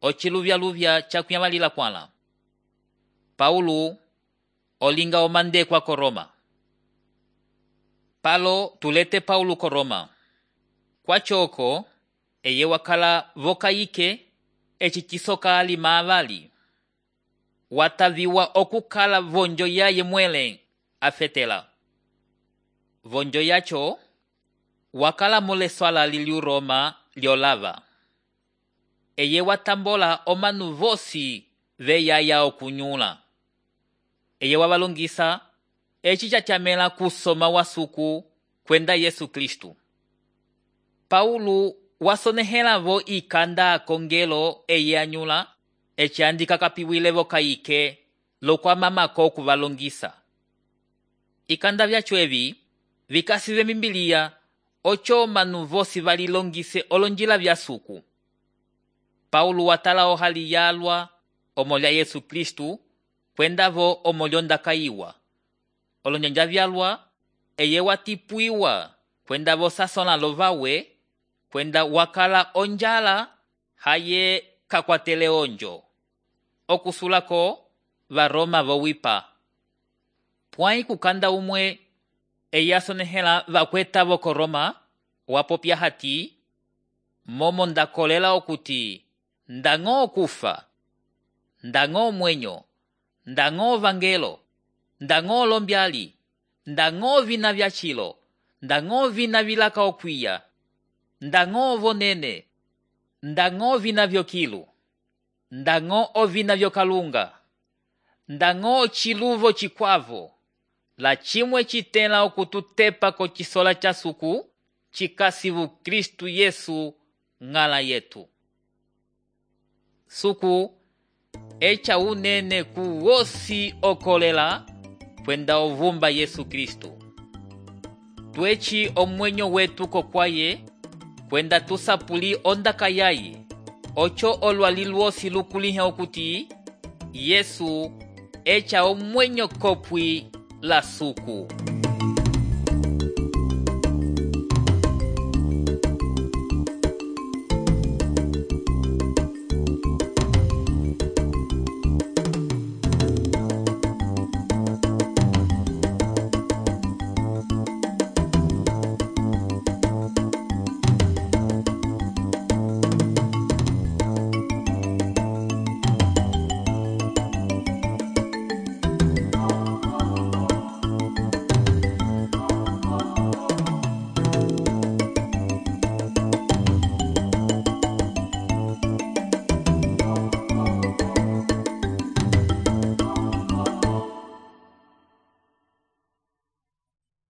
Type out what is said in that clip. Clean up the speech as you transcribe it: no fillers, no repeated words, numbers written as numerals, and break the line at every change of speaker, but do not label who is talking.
ociluvyaluvya cakuyamalila kwala. Paulo olinga omandekwa ko Roma. Palo tulete Paulo ko Roma. Kwachoko eye wakala vokayike eci cisoka alima avali. Wataviwa okukala vonjo yaye mwele afetela. Vonjo yacho wakala mule swala liliu Roma liolava. Eye watambola omanu vosi veyaya okunyula. Eye wabalongisa eci cachamela kusoma wasuku kwenda Yesu Kristu. Paulo wasonehela vo ikanda kongelo eye anyula eci andika kapiwile vokayike lokwamamako okuvalongisa. Ikanda vyacho evi vikasive mimbiliya ocho manu vosi valilongise olonjila vyasuku. Paulo watala ohali yalwa omolya Yesu Kristu kwenda vo omolyo ndakayiwa. Olonyanja vyalwa eye watipuiwa kwenda vo sasona lovawe kwenda wakala onjala haye kakwatele onjo. Okusulako va Roma vowipa. Pwai kukanda umwe eye asonehela vakweta vo ko Roma wapopya hati, momo ndakolela okuti ndang'o okufa, ndang'o omwenyo, ndang'o vangelo, ndang'o lombyali, ndang'o vina vyachilo, ndang'o vina vilaka okwiya, ndang'o vonene, ndang'o vina vyokilu, ndang'o ovina vyokalunga, ndang'o chiluvo chikwavo, la chimwe chitela okututepa ko chisola cha suku chikasivu Kristu Yesu ng'ala yetu. Suku echa unene kuwosi okolela kwenda ovumba Yesu Kristu. Tuechi omwenyo wetu kokwaye kwenda tusapuli ondaka yaye ocho olwali lwosi lukulihe okuti Yesu echa omwenyo kopwi la suku.